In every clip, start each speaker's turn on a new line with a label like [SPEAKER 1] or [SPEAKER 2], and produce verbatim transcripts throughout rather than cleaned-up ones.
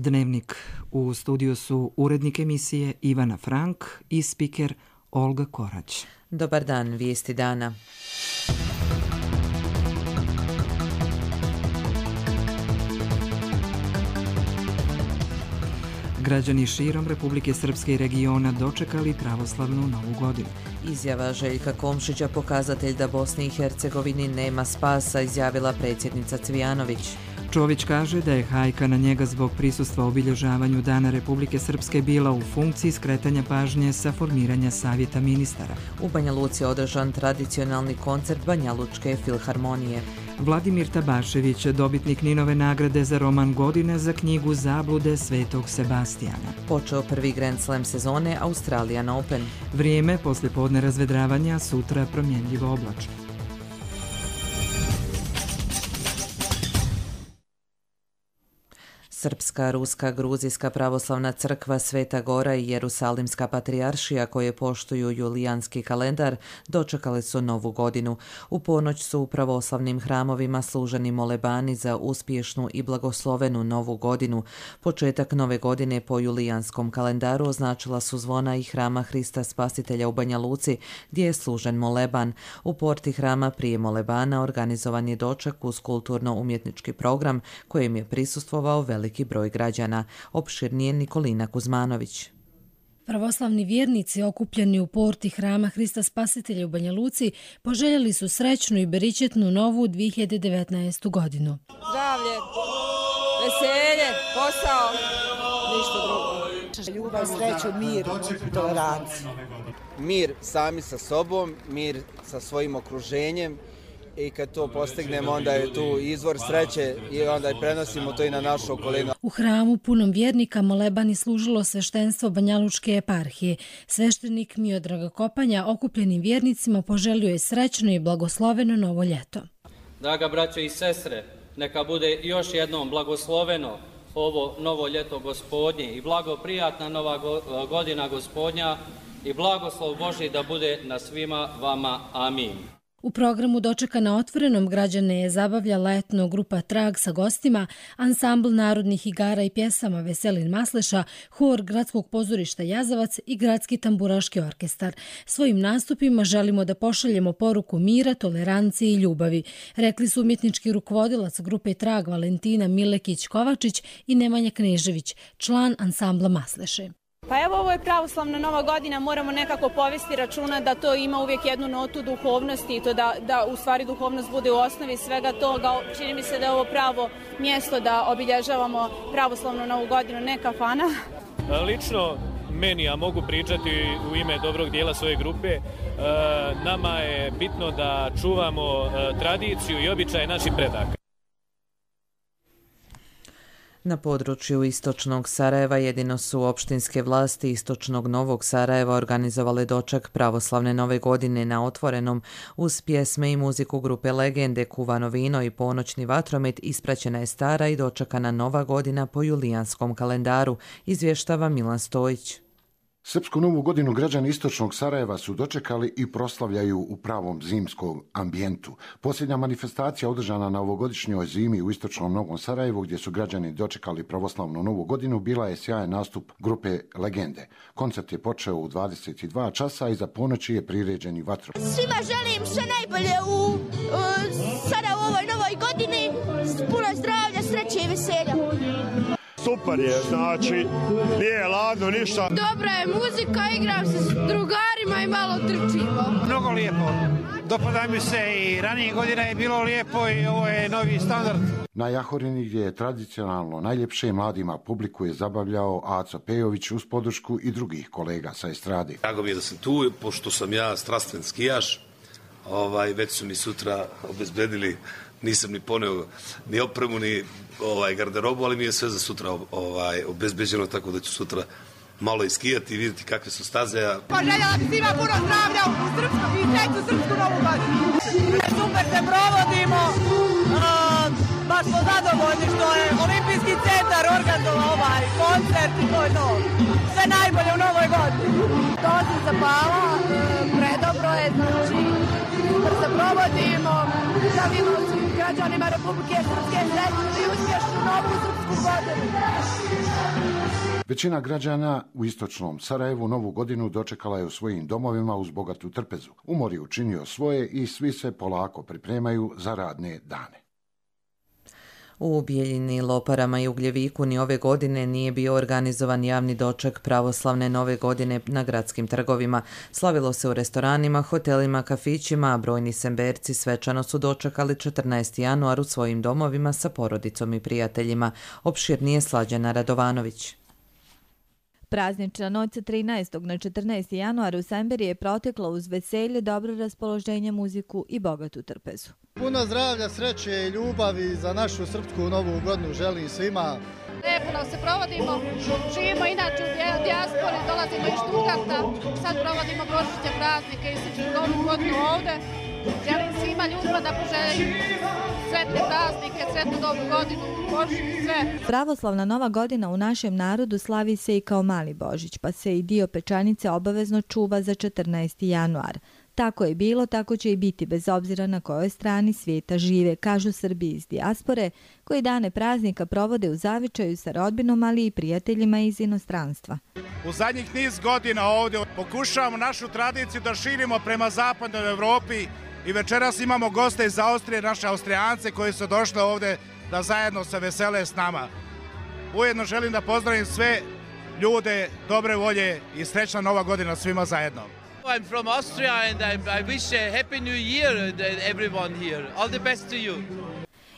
[SPEAKER 1] Dnevnik. U studiju su urednik emisije Ivana Frank i spiker Olga Korać.
[SPEAKER 2] Dobar dan, vijesti dana.
[SPEAKER 1] Građani širom Republike Srpske i regiona dočekali pravoslavnu Novu godinu.
[SPEAKER 2] Izjava Željka Komšića pokazatelj da Bosni i Hercegovini nema spasa, izjavila predsjednica Cvijanović.
[SPEAKER 1] Čović kaže da je hajka na njega zbog prisustva obilježavanju Dana Republike Srpske bila u funkciji skretanja pažnje sa formiranja savjeta ministara.
[SPEAKER 2] U Banja Luci je održan tradicionalni koncert Banjalučke filharmonije.
[SPEAKER 1] Vladimir Tabašević, dobitnik Ninove nagrade za roman godine za knjigu Zablude Svetog Sebastijana.
[SPEAKER 2] Počeo prvi Grand Slam sezone Australian Open.
[SPEAKER 1] Vrijeme poslijepodne razvedravanja, sutra promjenljivo oblačno.
[SPEAKER 2] Srpska, Ruska, Gruzijska pravoslavna crkva, Sveta Gora i Jerusalimska patrijaršija koje poštuju julijanski kalendar dočekali su Novu godinu. U ponoć su u pravoslavnim hramovima služeni molebani za uspješnu i blagoslovenu Novu godinu. Početak Nove godine po julijanskom kalendaru označila su zvona i hrama Hrista Spasitelja u Banja Luci gdje je služen moleban. U porti hrama prije molebana organizovan je doček uz kulturno-umjetnički program kojem je prisustvovao veliki broj građana. Opširnije Nikolina Kuzmanović.
[SPEAKER 3] Pravoslavni vjernici okupljeni u porti hrama Hrista Spasitelja u Banja Luci poželjeli su srećnu i beričetnu novu dvije hiljade devetnaestu godinu.
[SPEAKER 4] Zdravlje, veselje, posao, ništa drugo. Ljubav, sreću, mir i toleranciju.
[SPEAKER 5] Mir sami sa sobom, mir sa svojim okruženjem. I kad to postignemo, onda je tu izvor sreće i onda prenosimo to i na našu okolinu.
[SPEAKER 3] U hramu punom vjernika molebani služilo sveštenstvo Banjalučke eparhije. Sveštenik Miodrag Kopanja okupljenim vjernicima poželio je srećno i blagosloveno novo ljeto.
[SPEAKER 6] Draga braćo i sestre, neka bude još jednom blagosloveno ovo novo ljeto Gospodnje i blagoprijatna nova godina Gospodnja i blagoslov Božji da bude na svima vama. Amin.
[SPEAKER 3] U programu dočeka na otvorenom građane je zabavljala etno grupa Trag sa gostima, ansambl narodnih igara i pjesama Veselin Masleša, hor Gradskog pozorišta Jazavac i Gradski tamburaški orkestar. Svojim nastupima želimo da pošaljemo poruku mira, tolerancije i ljubavi, rekli su umjetnički rukovodilac grupe Trag Valentina Milekić-Kovačić i Nemanja Knežević, član ansambla Masleše.
[SPEAKER 7] Pa evo, ovo je pravoslavna Nova godina, moramo nekako povesti računa da to ima uvijek jednu notu duhovnosti i to da, da u stvari duhovnost bude u osnovi svega toga. Čini mi se da je ovo pravo mjesto da obilježavamo pravoslavnu Novu godinu, ne kafana.
[SPEAKER 8] Lično meni, a mogu pričati u ime dobrog dijela svoje grupe, nama je bitno da čuvamo tradiciju i običaje naših predaka.
[SPEAKER 2] Na području istočnog Sarajeva jedino su opštinske vlasti istočnog Novog Sarajeva organizovale doček pravoslavne Nove godine na otvorenom uz pjesme i muziku grupe Legende, kuvano vino i ponoćni vatromet. Ispraćena je stara i dočekana Nova godina po julijanskom kalendaru, izvještava Milan Stojić.
[SPEAKER 9] Srpsku novu godinu građani istočnog Sarajeva su dočekali i proslavljaju u pravom zimskom ambijentu. Posljednja manifestacija održana na ovogodišnjoj zimi u istočnom Novom Sarajevu, gdje su građani dočekali pravoslavnu Novu godinu, bila je sjajan nastup grupe Legende. Koncert je počeo u dvadeset dva časa i za ponoći je priređen vatromet.
[SPEAKER 10] Svima želim sve najbolje u uh, sada u ovoj novoj godini, puno zdravlja, sreće i veselja.
[SPEAKER 11] Super je, znači, nije ladno, ništa.
[SPEAKER 12] Dobra je muzika, igram se s drugarima i malo trčimo.
[SPEAKER 13] Mnogo lijepo. Dopada mi se i ranije godina je bilo lijepo i ovo je novi standard.
[SPEAKER 9] Na Jahorini, gdje je tradicionalno najljepše, mladima publiku je zabavljao Aco Pejović uz podršku i drugih kolega sa estrade.
[SPEAKER 14] Drago mi je da sam tu, pošto sam ja strastven skijaš, ovaj, već su mi sutra obezbedili, nisam ni poneo ni opremu, ni ovaj, garderobu, ali mi je sve za sutra ovaj, obezbeđeno, tako da ću sutra malo iskijati i vidjeti kakve su staze.
[SPEAKER 15] Pa željela bi svima puno zdravlja u srpsku i treću srpsku novu godinu. Super se provodimo, uh, baš smo zadovoljni što je Olimpijski centar organizovao ovaj koncert i to je to. Sve najbolje u novoj godini.
[SPEAKER 12] To se zapala, predobro je, znači super se provodimo, želimo svim građanima Republike Srpske srećnu i uspješnu novu srpsku srpsku godinu.
[SPEAKER 9] Većina građana u istočnom Sarajevu novu godinu dočekala je u svojim domovima uz bogatu trpezu. Umor je učinio svoje i svi se polako pripremaju za radne dane.
[SPEAKER 2] U Bijeljini, Loparama i Ugljeviku ni ove godine nije bio organizovan javni doček pravoslavne nove godine na gradskim trgovima. Slavilo se u restoranima, hotelima, kafićima, a brojni semberci svečano su dočekali četrnaesti januar u svojim domovima sa porodicom i prijateljima. Opširnije Slađana Radovanović.
[SPEAKER 16] Praznična noć sa trinaestog na četrnaesti januar u Semberi je protekla uz veselje, dobro raspoloženje, muziku i bogatu trpezu.
[SPEAKER 17] Puno zdravlja, sreće i ljubavi za našu srpsku novu godinu želim svima.
[SPEAKER 12] Lijepo nam se provodimo, živimo inače u dijaspori, dolazimo iz Štutgarta, sad provodimo božićne praznike i sličnu novu godinu ovde. Želim svima ljudima da poželim sretne praznike, sretnu novu godinu, Božić, sve.
[SPEAKER 16] Pravoslavna nova godina u našem narodu slavi se i kao mali Božić, pa se i dio pečenice obavezno čuva za četrnaesti januar. Tako je bilo, tako će i biti, bez obzira na kojoj strani svijeta žive, kažu Srbi iz dijaspore, koji dane praznika provode u zavičaju sa rodbinom, ali i prijateljima iz inostranstva.
[SPEAKER 18] U zadnjih niz godina ovdje pokušavamo našu tradiciju da širimo prema zapadnoj Evropi i večeras imamo goste iz Austrije, naše Austrijance koji su došli ovdje da zajedno se vesele s nama. Ujedno želim da pozdravim sve ljude dobre volje i srećna nova godina svima zajedno.
[SPEAKER 19] I'm from Austria and I, I wish a happy new year to everyone here. All the best to you.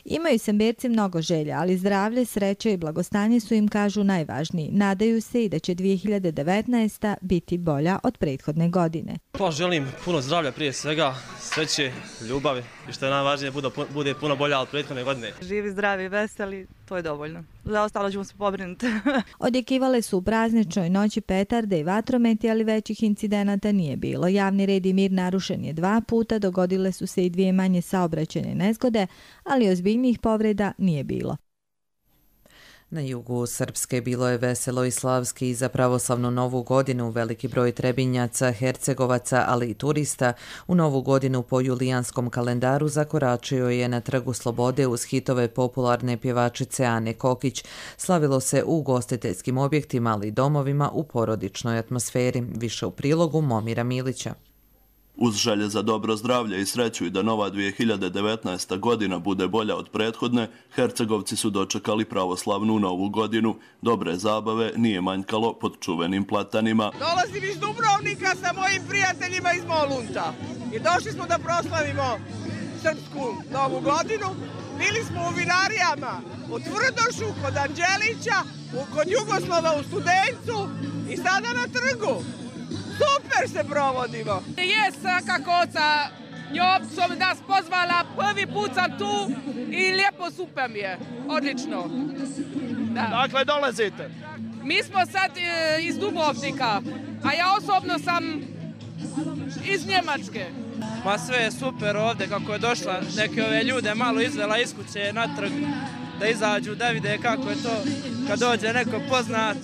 [SPEAKER 16] Imaju Semberci mnogo želja, ali zdravlje, sreća i blagostanje su im, kažu, najvažniji. Nadaju se i da će dvije hiljade devetnaesta. biti bolja od prethodne godine.
[SPEAKER 20] Pa želim puno zdravlja prije svega, sreće, ljubavi i što je najvažnije bude, bude puno bolja od prethodne godine.
[SPEAKER 21] Živi, zdravi, veseli, to je dovoljno. Za ostalo ćemo se pobrinuti.
[SPEAKER 16] Odjekivale su u prazničnoj noći petarde i vatrometi, ali većih incidenata nije bilo. Javni red i mir narušen je dva puta, dogodile su se i dvije manje saobraćajne nezgode, ali ozbiljnijih povreda nije bilo.
[SPEAKER 2] Na jugu Srpske bilo je veselo i slavski i za pravoslavnu novu godinu. Veliki broj Trebinjaca, Hercegovaca, ali i turista u novu godinu po julijanskom kalendaru zakoračio je na Trgu Slobode uz hitove popularne pjevačice Ane Kokić. Slavilo se u ugostiteljskim objektima, ali i domovima u porodičnoj atmosferi. Više u prilogu Momira Milića.
[SPEAKER 22] Uz želje za dobro zdravlje i sreću i da nova dvije hiljade devetnaesta. godina bude bolja od prethodne, Hercegovci su dočekali pravoslavnu novu godinu. Dobre zabave nije manjkalo pod čuvenim platanima.
[SPEAKER 15] Dolazim iz Dubrovnika sa mojim prijateljima iz Molunta i došli smo da proslavimo srpsku novu godinu. Bili smo u vinarijama u Tvrdošu, kod Anđelića, kod Jugoslova u Studencu i sada na trgu. Super se provodimo.
[SPEAKER 23] Jes, kako sa njom su nas pozvala, prvi put sam tu i lijepo super mi je, odlično.
[SPEAKER 18] Da. Dakle, dolazite?
[SPEAKER 23] Mi smo sad e, iz Dubrovnika, a ja osobno sam iz Njemačke.
[SPEAKER 19] Ma sve je super ovdje, kako je došla neke ove ljude malo izvela iz kuće na trg, da izađu, da vide kako je to kad dođe neko poznat.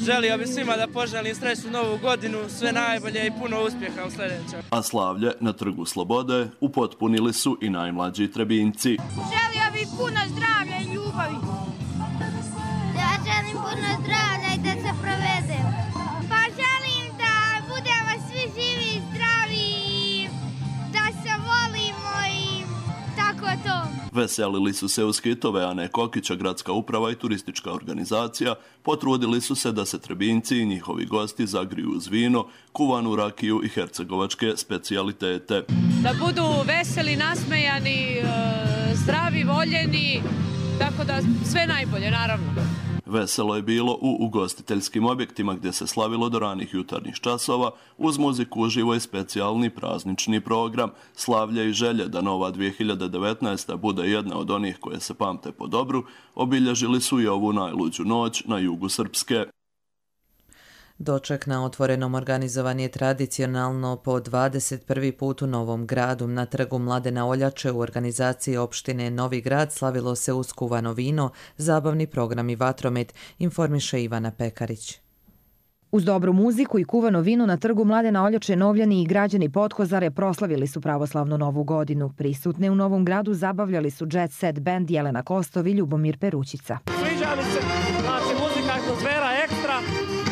[SPEAKER 19] Želio bi svima da poželim srećnu novu godinu, sve najbolje i puno uspjeha u sljedećem.
[SPEAKER 22] A slavlje na Trgu Slobode upotpunili su i najmlađi Trebinjci.
[SPEAKER 10] Želio bih puno zdravlja i ljubavi. Ja želim puno zdravlja i da se provedem. Pa želim da budemo svi živi i zdravi i da se volimo i tako to.
[SPEAKER 22] Veselili su se uz hitove Ane Kokića, gradska uprava i turistička organizacija. Potrudili su se da se Trebinjci i njihovi gosti zagriju uz vino, kuvanu rakiju i hercegovačke specijalitete.
[SPEAKER 23] Da budu veseli, nasmejani, zdravi, voljeni, tako da sve najbolje, naravno.
[SPEAKER 22] Veselo je bilo u ugostiteljskim objektima gdje se slavilo do ranih jutarnjih časova, uz muziku uživo i specijalni praznični program. Slavlje i želje da nova dvije hiljade devetnaesta. bude jedna od onih koje se pamte po dobru, obilježili su i ovu najluđu noć na jugu Srpske.
[SPEAKER 2] Doček na otvorenom organizovan je tradicionalno po dvadeset prvi put u Novom Gradu. Na trgu Mladena Oljače u organizaciji opštine Novi Grad slavilo se uz kuvano vino, zabavni program i vatromet, informiše Ivana Pekarić.
[SPEAKER 1] Uz dobru muziku i kuvano vino na trgu Mladena Oljače Novljani i građani Potkozare proslavili su pravoslavnu novu godinu. Prisutne u Novom Gradu zabavljali su Jet Set band Jelena Kostov i Ljubomir Perućica.
[SPEAKER 4] Sviđa mi se, znači muzika, atmosfera ekstra,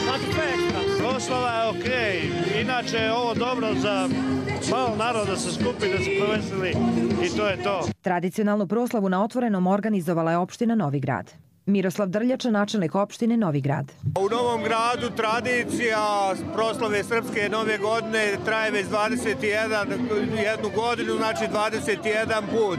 [SPEAKER 4] znači sve ekstra.
[SPEAKER 11] Proslava je okej, okay. Inače je ovo dobro za malo naroda da se skupi, da se proveseli i to je to.
[SPEAKER 1] Tradicionalnu proslavu na otvorenom organizovala je opština Novi Grad. Miroslav Drljača, načelnik opštine Novi Grad.
[SPEAKER 5] U Novom Gradu tradicija proslave Srpske nove godine traje već dvadeset jednu godinu, znači dvadeset jedan put.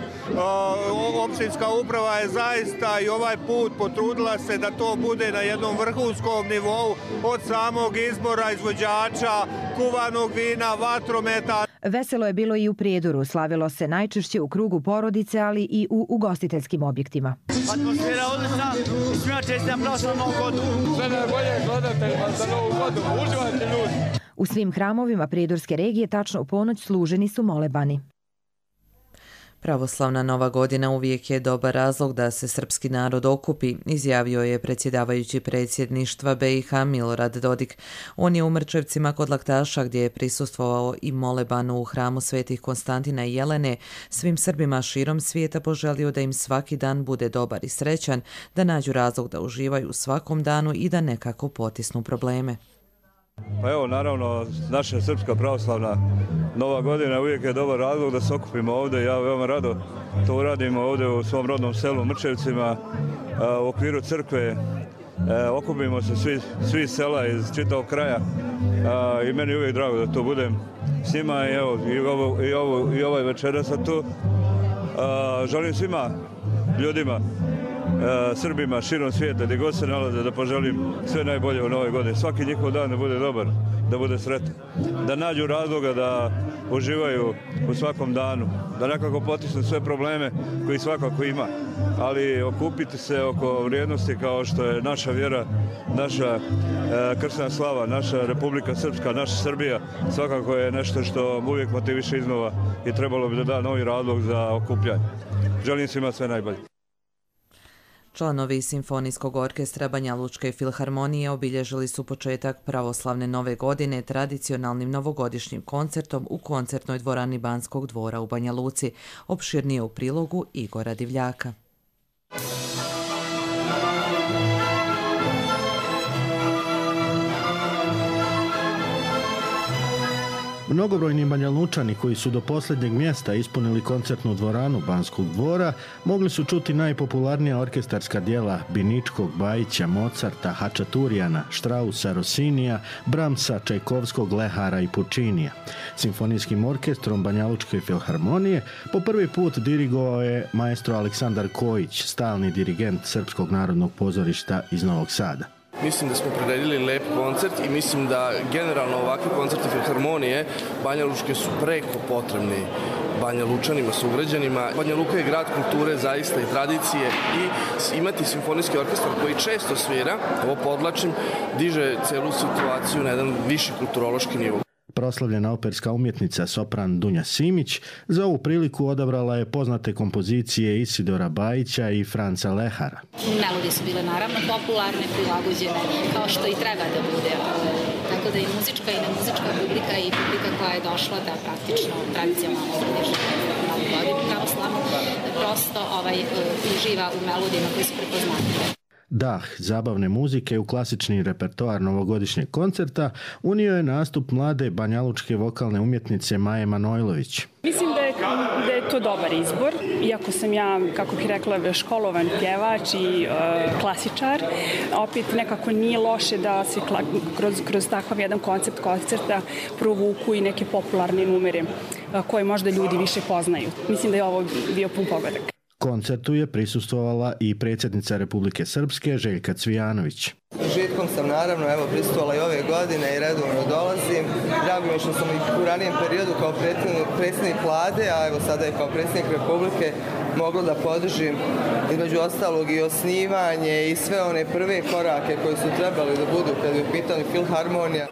[SPEAKER 5] Opštinska uprava je zaista i ovaj put potrudila se da to bude na jednom vrhunskom nivou od samog izbora izvođača, kuvanog vina, vatrometa.
[SPEAKER 1] Veselo je bilo i u Prijedoru. Slavilo se najčešće u krugu porodice, ali i u ugostiteljskim objektima.
[SPEAKER 4] Atmosfera odlična i svima čestitam proslavu Novu godinu. Sve najbolje gledateljima za Novu godinu. Uživajte ljudi.
[SPEAKER 1] U svim hramovima Prijedorske regije tačno u ponoć služeni su molebani.
[SPEAKER 2] Pravoslavna Nova godina uvijek je dobar razlog da se srpski narod okupi, izjavio je predsjedavajući predsjedništva B i H Milorad Dodik. On je u Mrčevcima kod Laktaša, gdje je prisustvovao i molebanu u hramu svetih Konstantina i Jelene, svim Srbima širom svijeta poželio da im svaki dan bude dobar i srećan, da nađu razlog da uživaju u svakom danu i da nekako potisnu probleme.
[SPEAKER 24] Pa evo, naravno, naša srpska pravoslavna Nova godina uvijek je dobar razlog da se okupimo ovdje. Ja veoma rado to uradimo ovdje u svom rodnom selu Mrčevcima u okviru crkve. Okupimo se svi, svi sela iz čitavog kraja i meni je uvijek drago da to budem s njima i evo, i, ovo, i, ovo, i ovaj večera sam tu. Želim svima ljudima, Srbima širom svijeta, gdje god se nalaze, da poželim sve najbolje u Novoj godini. Svaki njihov dan da bude dobar, da bude sretan. Da nađu razloga da uživaju u svakom danu, da nekako potisnu sve probleme koji svakako ima. Ali okupiti se oko vrijednosti kao što je naša vjera, naša e, kršćanska slava, naša Republika Srpska, naša Srbija, svakako je nešto što uvijek motiviše iznova i trebalo bi da da novi razlog za okupljanje. Želim svima sve najbolje.
[SPEAKER 2] Članovi Simfonijskog orkestra Banja Lučke filharmonije obilježili su početak pravoslavne nove godine tradicionalnim novogodišnjim koncertom u koncertnoj dvorani Banskog dvora u Banja Luci. Opširnije u prilogu Igora Divljaka.
[SPEAKER 25] Mnogobrojni Banjalučani koji su do posljednjeg mjesta ispunili koncertnu dvoranu Banskog dvora mogli su čuti najpopularnija orkestarska dijela Biničkog, Bajića, Mozarta, Hačaturijana, Štrausa, Rosinija, Bramsa, Čajkovskog, Lehara i Pučinija. Simfonijskim orkestrom Banjalučke filharmonije po prvi put dirigovao je maestro Aleksandar Kojić, stalni dirigent Srpskog narodnog pozorišta iz Novog Sada.
[SPEAKER 26] Mislim da smo priredili lep koncert i mislim da generalno ovakvi koncerti filharmonije Banja Lučke su preko potrebni Banja Lučanima, sugrađanima. Banja Luka je grad kulture zaista i tradicije i imati simfonijski orkestar koji često svira, ovo podlačim, diže celu situaciju na jedan viši kulturološki nivo.
[SPEAKER 25] Proslavljena operska umjetnica sopran Dunja Simić za ovu priliku odabrala je poznate kompozicije Isidora Bajića i Franca Lehara.
[SPEAKER 27] Melodije su bile naravno popularne, prilagođene, kao što i treba da bude. Tako da i muzička i nemuzička publika i publika koja je došla da praktično tradicionalno obilježi Novu godinu pravoslavnu, prosto ovaj, uživa u melodijama koji su prepoznatljive.
[SPEAKER 25] Dah zabavne muzike u klasični repertoar novogodišnjeg koncerta unio je nastup mlade banjalučke vokalne umjetnice Maje Manojlović.
[SPEAKER 28] Mislim da je, da je to dobar izbor, iako sam ja, kako bih rekla, školovan pjevač i e, klasičar, opet nekako nije loše da se kla, kroz, kroz takav jedan koncept koncerta provuku i neke popularne numere koje možda ljudi više poznaju. Mislim da je ovo bio pun pogodak.
[SPEAKER 25] Koncertu je prisustvovala i predsjednica Republike Srpske Željka Cvijanović.
[SPEAKER 29] Žitkom sam naravno evo prisustvovala i ove godine i redovno dolazim. Drago mi je što sam i u ranijem periodu kao predsjednik vlade, a evo sada i kao predsjednik Republike mogla da podržim između ostalog i osnivanje i sve one prve korake koji su trebali da budu kad je u pitanju filharmonija.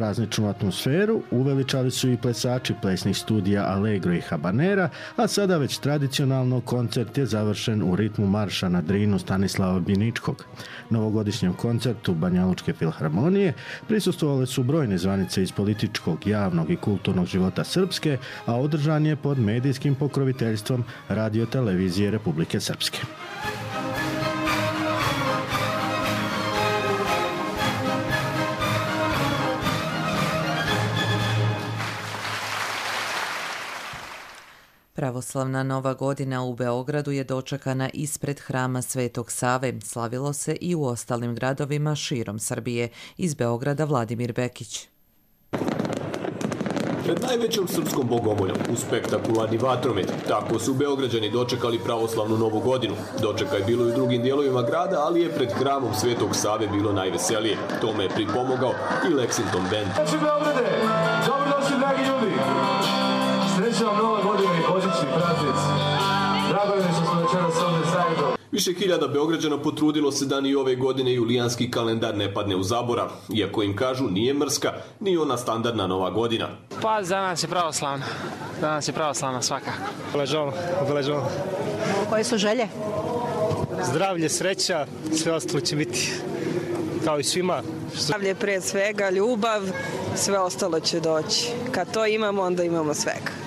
[SPEAKER 25] Prazničnu atmosferu uveličali su i plesači plesnih studija Allegro i Habanera, a sada već tradicionalno koncert je završen u ritmu marša na Drinu Stanislava Biničkog. Novogodišnjem koncertu Banjalučke filharmonije prisustvovale su brojne zvanice iz političkog, javnog i kulturnog života Srpske, a održan je pod medijskim pokroviteljstvom Radio televizije Republike Srpske.
[SPEAKER 2] Pravoslavna Nova godina u Beogradu je dočekana ispred hrama Svetog Save. Slavilo se i u ostalim gradovima širom Srbije. Iz Beograda Vladimir Bekić.
[SPEAKER 3] Pred najvećom srpskom bogomoljom u spektakularni vatromet, tako su Beograđani dočekali pravoslavnu Novu godinu. Dočeka je bilo i u drugim dijelovima grada, ali je pred hramom Svetog Save bilo najveselije. Tome je pripomogao i Lexington Band.
[SPEAKER 6] Znači Beograde, dobrodošli dragi ljudi! Sreća vam Nova godina i božićni praznici. Drago je što smo večeras ovdje zajedno.
[SPEAKER 3] Više hiljada Beograđana potrudilo se da ni ove godine julijanski kalendar ne padne u zaborav, iako im kažu nije mrska, ni ona standardna Nova godina.
[SPEAKER 7] Pa za nas je pravoslavna. Za nas je pravoslavna svakako.
[SPEAKER 6] Obeležavamo, obeležavamo.
[SPEAKER 8] Koje su želje?
[SPEAKER 6] Zdravlje, sreća, sve ostalo će biti kao i svima.
[SPEAKER 8] Zdravlje prije svega, ljubav, sve ostalo će doći. Kad to imamo, onda imamo svega.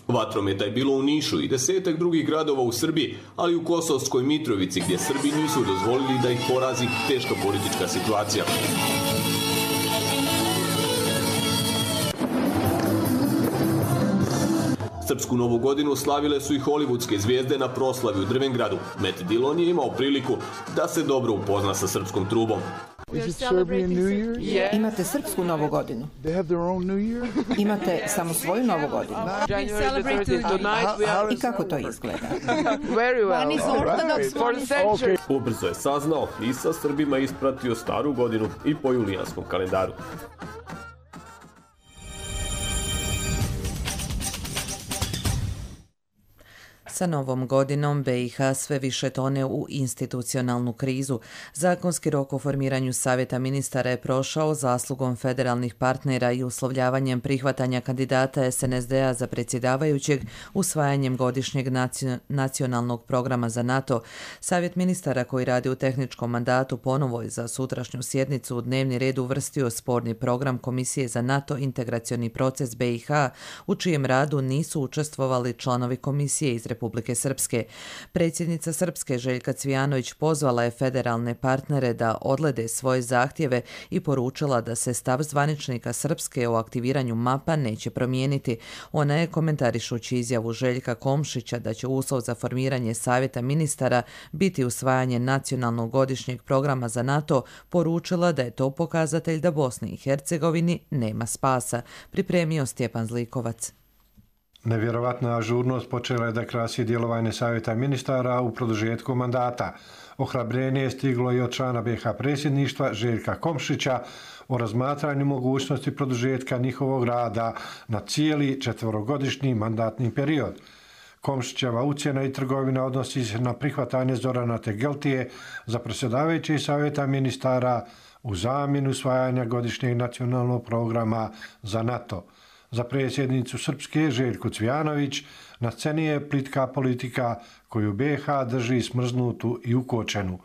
[SPEAKER 3] Vatrometa je bilo u Nišu i desetak drugih gradova u Srbiji, ali u Kosovskoj Mitrovici, gdje Srbi nisu dozvolili da ih porazi teška politička situacija. Srpsku Novu godinu slavile su i hollywoodske zvijezde na proslavi u Drvengradu. Matt Dillon je imao priliku da se dobro upozna sa srpskom trubom.
[SPEAKER 8] Imate srpsku Novu godinu. Imate samo svoju Novu godinu. I kako to izgleda?
[SPEAKER 3] Ubrzo je saznao i sa Srbima ispratio staru godinu i po julijanskom kalendaru.
[SPEAKER 2] Sa novom godinom B i H sve više tone u institucionalnu krizu. Zakonski rok o formiranju Savjeta ministara je prošao zaslugom federalnih partnera i uslovljavanjem prihvatanja kandidata S N S D-a za predsjedavajućeg usvajanjem godišnjeg nacionalnog programa za NATO. Savjet ministara koji radi u tehničkom mandatu ponovo je za sutrašnju sjednicu u dnevni red uvrstio sporni program Komisije za NATO integracioni proces B i H, u čijem radu nisu učestvovali članovi komisije iz Republike Republike Srpske. Predsjednica Srpske Željka Cvijanović pozvala je federalne partnere da odlede svoje zahtjeve i poručila da se stav zvaničnika Srpske o aktiviranju mapa neće promijeniti. Ona je, komentarišući izjavu Željka Komšića da će uslov za formiranje Savjeta ministara biti usvajanje nacionalnog godišnjeg programa za NATO, poručila da je to pokazatelj da Bosni i Hercegovini nema spasa. Pripremio Stjepan Zlikovac.
[SPEAKER 9] Nevjerovatna ažurnost počela je da krasi djelovanje Savjeta ministara u produžetku mandata. Ohrabrenje je stiglo i od člana B i H predsjedništva Željka Komšića o razmatranju mogućnosti produžetka njihovog rada na cijeli četverogodišnji mandatni period. Komšićeva ucjena i trgovina odnosi se na prihvatanje Zorana Tegeltije za predsjedavajuće Savjeta ministara u zamjenu usvajanja godišnjeg nacionalnog programa za NATO. Za predsjednicu Srpske Željku Cvijanović na sceni je plitka politika koju B i H drži smrznutu i ukočenu.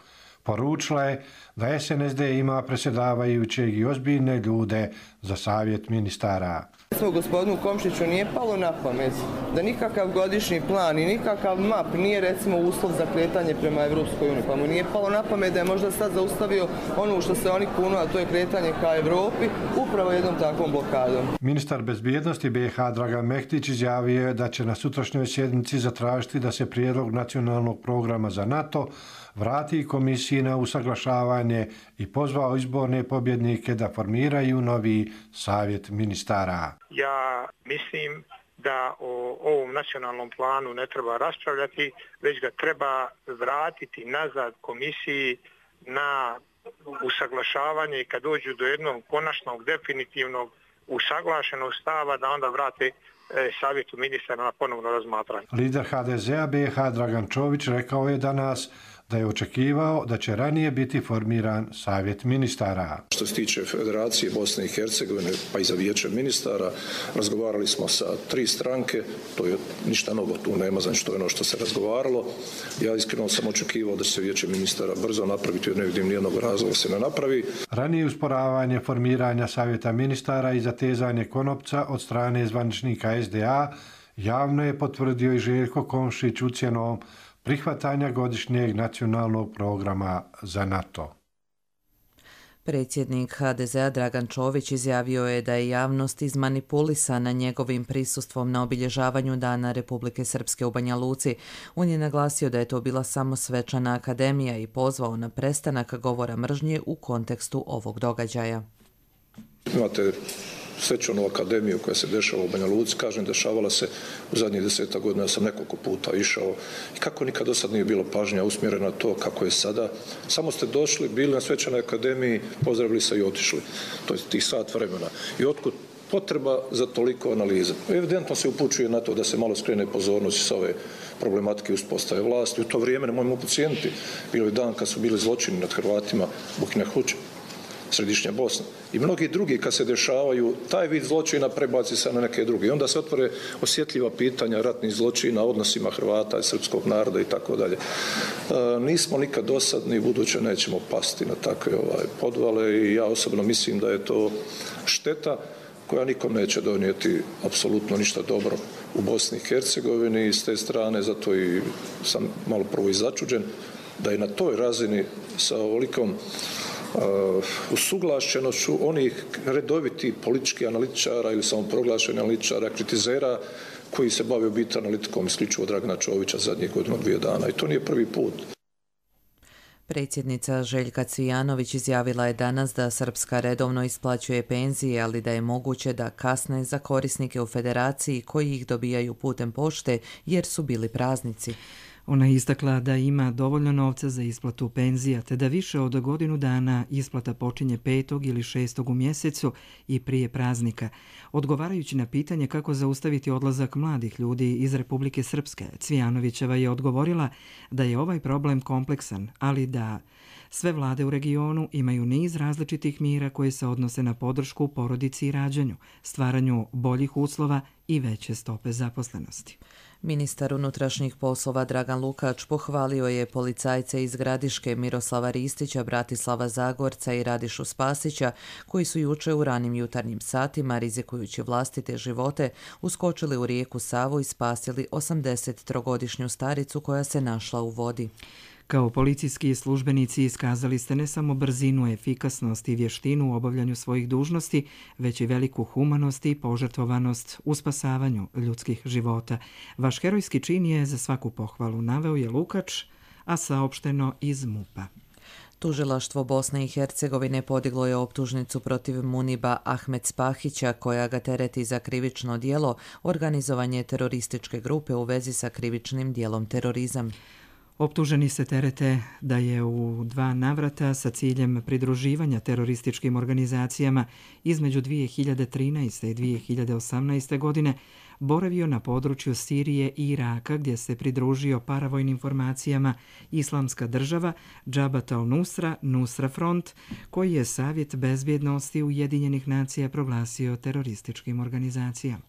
[SPEAKER 9] Poručila je da S N S D ima predsjedavajućeg i ozbiljne ljude za Savjet ministara.
[SPEAKER 29] Smo gospodinu Komšiću nije palo na pamet da nikakav godišnji plan i nikakav map nije recimo uslov za kretanje prema Evropskoj uniji. Pa mu nije palo na pamet da je možda sad zaustavio ono što se oni kunu, a to je kretanje ka Evropi, upravo jednom takvom blokadom.
[SPEAKER 9] Ministar bezbjednosti B i H Dragan Mehtić izjavio je da će na sutrašnjoj sjednici zatražiti da se prijedlog nacionalnog programa za NATO vrati komisiji na usaglašavanje i pozvao izborne pobjednike da formiraju novi Savjet ministara.
[SPEAKER 12] Ja mislim da o ovom nacionalnom planu ne treba raspravljati, već ga treba vratiti nazad komisiji na usaglašavanje i kad dođu do jednog konačnog, definitivnog, usaglašenog stava da onda vrate Savjetu ministara na ponovno razmatranje.
[SPEAKER 9] Lider H D Z-a B i H Dragan Čović rekao je danas da je očekivao da će ranije biti formiran savjet ministara.
[SPEAKER 13] Što se tiče Federacije Bosne i Hercegovine, pa i za vijeće ministara, razgovarali smo sa tri stranke, to je ništa novo, tu nema, znači to je ono što se razgovaralo. Ja iskreno sam očekivao da će se vijeće ministara brzo napraviti, jer ne vidim nijednog razloga da se ne napravi.
[SPEAKER 9] Ranije usporavanje formiranja savjeta ministara i zatezanje konopca od strane zvaničnika es de a javno je potvrdio i Željko Komšić ucjenom prihvatanja godišnjeg nacionalnog programa za NATO.
[SPEAKER 2] Predsjednik ha de ze a Dragan Čović izjavio je da je javnost izmanipulisana njegovim prisustvom na obilježavanju Dana Republike Srpske u Banja Luci. On je naglasio da je to bila samo svečana akademija i pozvao na prestanak govora mržnje u kontekstu ovog događaja.
[SPEAKER 13] Imate svečanu akademiju koja se dešava u Banja Luci, kažem, dešavala se u zadnjih deseta godina, ja sam nekoliko puta išao i kako nikad do sad nije bilo pažnja usmjerena na to kako je sada. Samo ste došli, bili na svečanoj akademiji, pozdravili se i otišli. To je tih sat vremena. I otkud potreba za toliko analize? Evidentno se upućuje na to da se malo skrene pozornost sa ove problematike uspostave vlasti. U to vrijeme, nemojmo podcijeniti, bilo je dan kad su bili zločini nad Hrvatima Bukina Huća, Središnja Bosna. I mnogi drugi kad se dešavaju, taj vid zločina prebaci se na neke druge. I onda se otvore osjetljiva pitanja ratnih zločina, odnosima Hrvata i srpskog naroda i tako dalje. Nismo nikad dosadni, buduće nećemo pasti na takve ovaj, podvale i ja osobno mislim da je to šteta koja nikom neće donijeti apsolutno ništa dobro u Bosni i Hercegovini i s te strane, zato i sam malo prvo i začuđen da je na toj razini sa ovolikom Uh, usuglašenošću onih redovitih političkih analitičara ili samoproglašenih analitičara, kritizera koji se bave u biti analitikom isključivo Dragana Čovića zadnjih godinu dvije dana. I to nije prvi put.
[SPEAKER 2] Predsjednica Željka Cvijanović izjavila je danas da Srpska redovno isplaćuje penzije, ali da je moguće da kasne za korisnike u federaciji koji ih dobijaju putem pošte jer su bili praznici.
[SPEAKER 14] Ona je istakla da ima dovoljno novca za isplatu penzija, te da više od godinu dana isplata počinje petog ili šestog u mjesecu i prije praznika. Odgovarajući na pitanje kako zaustaviti odlazak mladih ljudi iz Republike Srpske, Cvijanovićeva je odgovorila da je ovaj problem kompleksan, ali da sve vlade u regionu imaju niz različitih mjera koje se odnose na podršku porodici i rađanju, stvaranju boljih uslova i veće stope zaposlenosti.
[SPEAKER 2] Ministar unutrašnjih poslova Dragan Lukač pohvalio je policajce iz Gradiške Miroslava Ristića, Bratislava Zagorca i Radišu Spasića, koji su juče u ranim jutarnjim satima, rizikujući vlastite živote, uskočili u rijeku Savu i spasili osamdesettrogodišnju staricu koja se našla u vodi.
[SPEAKER 14] Kao policijski službenici iskazali ste ne samo brzinu, efikasnost i vještinu u obavljanju svojih dužnosti, već i veliku humanost i požrtvovanost u spasavanju ljudskih života. Vaš herojski čin je za svaku pohvalu, naveo je Lukač, a saopšteno iz MUP-a.
[SPEAKER 2] Tužilaštvo Bosne i Hercegovine podiglo je optužnicu protiv Muniba Ahmed Spahića, koja ga tereti za krivično djelo organizovanje terorističke grupe u vezi sa krivičnim djelom terorizam.
[SPEAKER 14] Optuženi se terete da je u dva navrata sa ciljem pridruživanja terorističkim organizacijama između dvije hiljade trinaeste i dvije hiljade osamnaeste. godine boravio na području Sirije i Iraka, gdje se pridružio paravojnim formacijama Islamska država, Džabat al-Nusra, Nusra Front, koji je Savjet bezbjednosti Ujedinjenih nacija proglasio terorističkim organizacijama.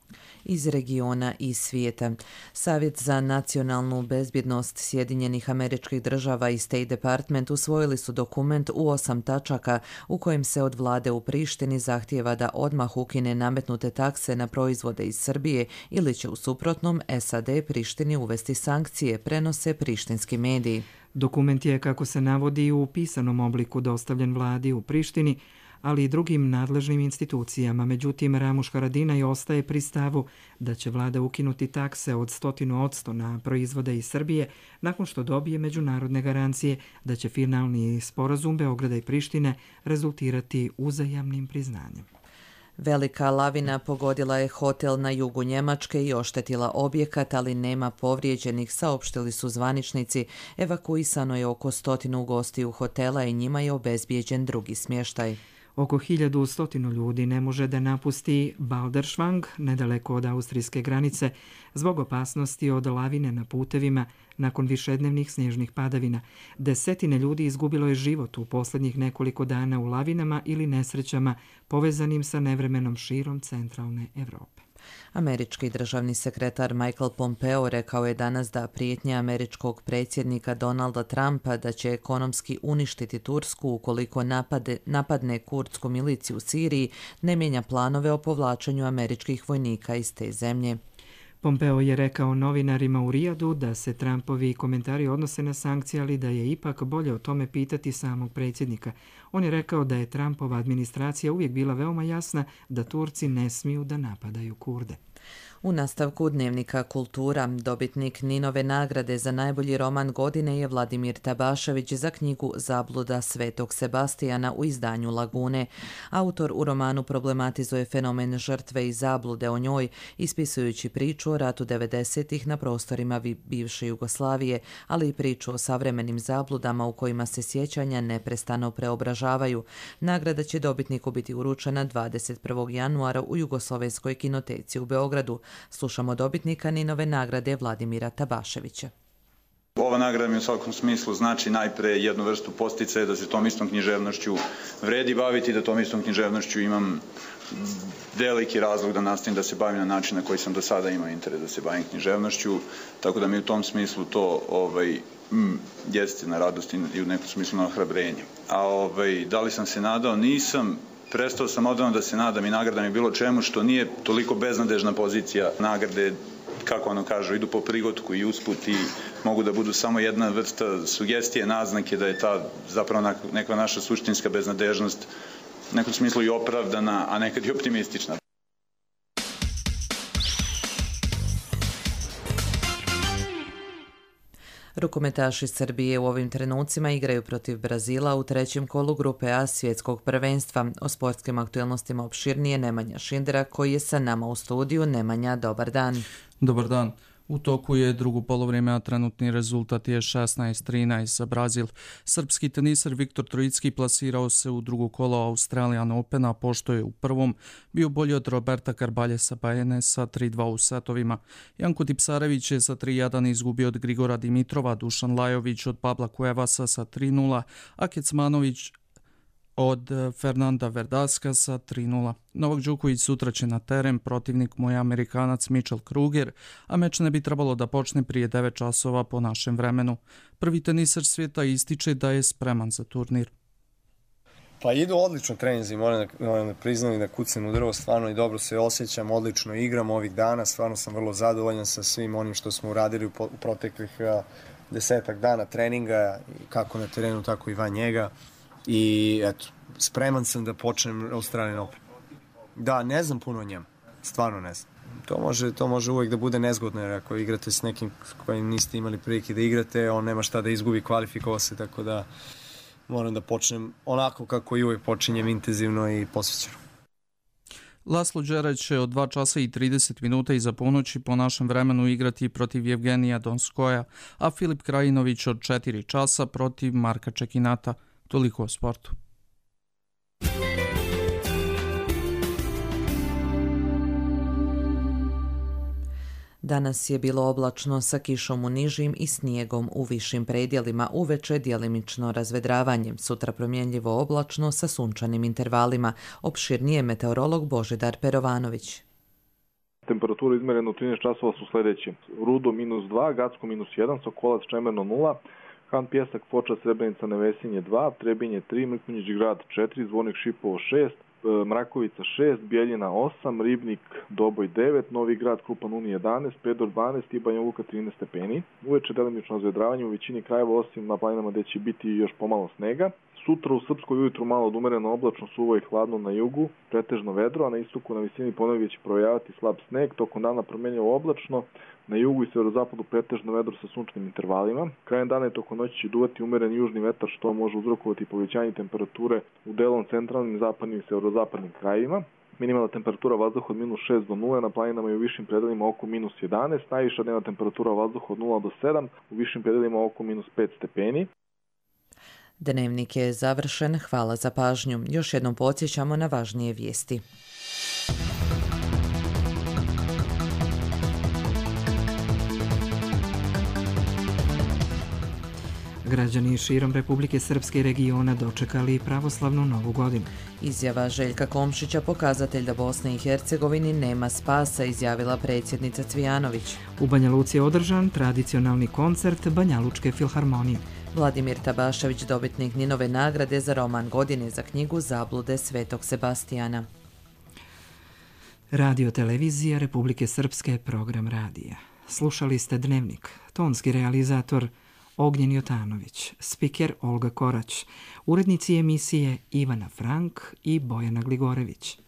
[SPEAKER 2] Iz regiona i svijeta. Savjet za nacionalnu bezbjednost Sjedinjenih Američkih Država i State Department usvojili su dokument u osam tačaka u kojem se od vlade u Prištini zahtijeva da odmah ukine nametnute takse na proizvode iz Srbije ili će u suprotnom es a de Prištini uvesti sankcije, prenose prištinski mediji.
[SPEAKER 14] Dokument je, kako se navodi, u pisanom obliku dostavljen vladi u Prištini, ali i drugim nadležnim institucijama. Međutim, Ramuš Haradinaj ostaje pri stavu da će vlada ukinuti takse od stotinu odsto na proizvode iz Srbije nakon što dobije međunarodne garancije da će finalni sporazum Beograda i Prištine rezultirati uzajamnim priznanjem.
[SPEAKER 2] Velika lavina pogodila je hotel na jugu Njemačke i oštetila objekat, ali nema povrijeđenih, saopštili su zvaničnici. Evakuisano je oko stotinu gostiju hotela i njima je obezbijeđen drugi smještaj.
[SPEAKER 14] Oko hiljadu stotinu ljudi ne može da napusti Balderschwang, nedaleko od austrijske granice, zbog opasnosti od lavine na putevima nakon višednevnih snježnih padavina. Desetine ljudi izgubilo je život u posljednjih nekoliko dana u lavinama ili nesrećama povezanim sa nevremenom širom centralne Evrope.
[SPEAKER 2] Američki državni sekretar Michael Pompeo rekao je danas da prijetnje američkog predsjednika Donalda Trumpa da će ekonomski uništiti Tursku ukoliko napade, napadne kurdsku miliciju u Siriji ne mijenja planove o povlačenju američkih vojnika iz te zemlje.
[SPEAKER 14] Pompeo je rekao novinarima u Rijadu da se Trumpovi komentari odnose na sankcije, ali da je ipak bolje o tome pitati samog predsjednika. On je rekao da je Trumpova administracija uvijek bila veoma jasna da Turci ne smiju da napadaju Kurde.
[SPEAKER 2] U nastavku dnevnika Kultura, dobitnik Ninove nagrade za najbolji roman godine je Vladimir Tabašević za knjigu Zabluda Svetog Sebastijana u izdanju Lagune. Autor u romanu problematizuje fenomen žrtve i zablude o njoj, ispisujući priču o ratu devedesetih na prostorima bivše Jugoslavije, ali i priču o savremenim zabludama u kojima se sjećanja neprestano preobražavaju. Nagrada će dobitniku biti uručena dvadeset prvog januara u Jugoslovenskoj kinoteci u Beogradu. Slušamo dobitnika Ninove nagrade Vladimira Tabaševića.
[SPEAKER 10] Ova nagrada mi u svakom smislu znači najpre jednu vrstu posticaja da se tom istom književnošću vredi baviti, da tom istom književnošću imam veliki razlog da nastavim da se bavim na način na koji sam do sada imao interes da se bavim književnošću, tako da mi u tom smislu to ovaj, mm, jeste na radost i u nekom smislu na ohrabrenje. A ovaj, da li sam se nadao? Nisam. Prestao sam odavno da se nadam i nagrada mi bilo čemu što nije toliko beznadežna pozicija. Nagrade, kako ono kažu, idu po prigotku i usput i mogu da budu samo jedna vrsta sugestije, naznake da je ta zapravo neka naša suštinska beznadežnost u nekom smislu i opravdana, a nekad i optimistična.
[SPEAKER 2] Rukometaši Srbije u ovim trenucima igraju protiv Brazila u trećem kolu grupe A svjetskog prvenstva. O sportskim aktualnostima opširnije Nemanja Šindera koji je sa nama u studiju. Nemanja, dobar dan.
[SPEAKER 15] Dobar dan. U toku je drugo polovrijeme, a trenutni rezultat je šesnaest trinaest za Brazil. Srpski teniser Viktor Trojicki plasirao se u drugo kolo Australian Opena, pošto je u prvom bio bolji od Roberta Carbaljesa Bajene sa tri dva u setovima. Janko Tipsarević je sa tri jedan izgubio od Grigora Dimitrova, Dušan Lajović od Pabla Cuevasa sa tri nula, a Kecmanović od Fernanda Verdaska sa tri nula. Novak Đoković sutra će na teren, protivnik mu je Amerikanac Mitchell Kruger, a meč ne bi trebalo da počne prije devet časova po našem vremenu. Prvi teniser svijeta ističe da je spreman za turnir.
[SPEAKER 16] Pa idu odlično treninzi, moram da, moram da priznam i da kucam u drvo, stvarno i dobro se osjećam, odlično igram ovih dana, stvarno sam vrlo zadovoljan sa svim onim što smo uradili u, po, u proteklih uh, desetak dana treninga, kako na terenu, tako i van njega. I eto, spreman sam da počnem Australian Open. Da, ne znam puno o njemu, stvarno ne znam. To može, to može uvijek da bude nezgodno, jer ako igrate s nekim kojim niste imali prilike da igrate, on nema šta da izgubi, kvalifikovao se, tako da moram da počnem onako kako i uvijek počinjem, intenzivno i posvećeno.
[SPEAKER 15] Laslo Đerać će od dva časa i trideset minuta iza ponoći po našem vremenu igrati protiv Jevgenija Donskoja, a Filip Krajinović od četiri časa protiv Marka Čekinata. Toliko o sportu.
[SPEAKER 2] Danas je bilo oblačno sa kišom u nižim i snijegom u višim predjelima, uveče djelimično razvedravanje, sutra promjenljivo oblačno sa sunčanim intervalima. Opširnije meteorolog Božidar Perovanović.
[SPEAKER 17] Temperatura izmerena u trinaest časova su sljedeće. Rudo minus dva, Gacko minus jedan, Sokolac Čemerno nula, Han Pjesak, Foča, Srebrenica, Nevesinje dva, Trebinje tri, Mrkonjić Grad četiri, Zvornik Šipovo šest, Mrakovica šest, Bijeljina osam, Ribnik Doboj devet, Novi Grad Krupan Uni jedanaest, Predor dvanaest i Banja Luka trinaest stepeni. Uveče delimično razvedravanje u većini krajeva, osim na planinama gdje će biti još pomalo snega. Sutra u Srpskoj ujutru malo odumereno oblačno, suvo i hladno na jugu, pretežno vedro, a na istoku na visini ponegdje će projaviti slab sneg, tokom dana promenljivo oblačno, na jugu i severozapadu pretežno vedro sa sunčnim intervalima. Krajem dana i tokom noći će duvati umeren južni vetar, što može uzrokovati povećanje temperature u delom centralnim, zapadnim i severozapadnim krajevima. Minimalna temperatura vazduha od minus šest do nule, na planinama i u višim predelima oko minus jedanaest, najviša dnevna temperatura vazduha od nula do sedam, u višim predelima oko minus pet stepeni.
[SPEAKER 2] Dnevnik je završen, hvala za pažnju. Još jednom podsjećamo na važnije vijesti.
[SPEAKER 14] Građani širom Republike Srpske i regiona dočekali pravoslavnu novu godinu.
[SPEAKER 2] Izjava Željka Komšića pokazatelj da Bosni i Hercegovini nema spasa, izjavila predsjednica Cvijanović.
[SPEAKER 14] U Banja Luci je održan tradicionalni koncert Banjalučke filharmonije.
[SPEAKER 2] Vladimir Tabašević, dobitnik Ninove nagrade za roman godine za knjigu Zablude Svetog Sebastijana.
[SPEAKER 14] Radio televizija Republike Srpske, program radija. Slušali ste Dnevnik, tonski realizator Ognjen Jotanović, spiker Olga Korać, urednici emisije Ivana Frank i Bojana Gligorević.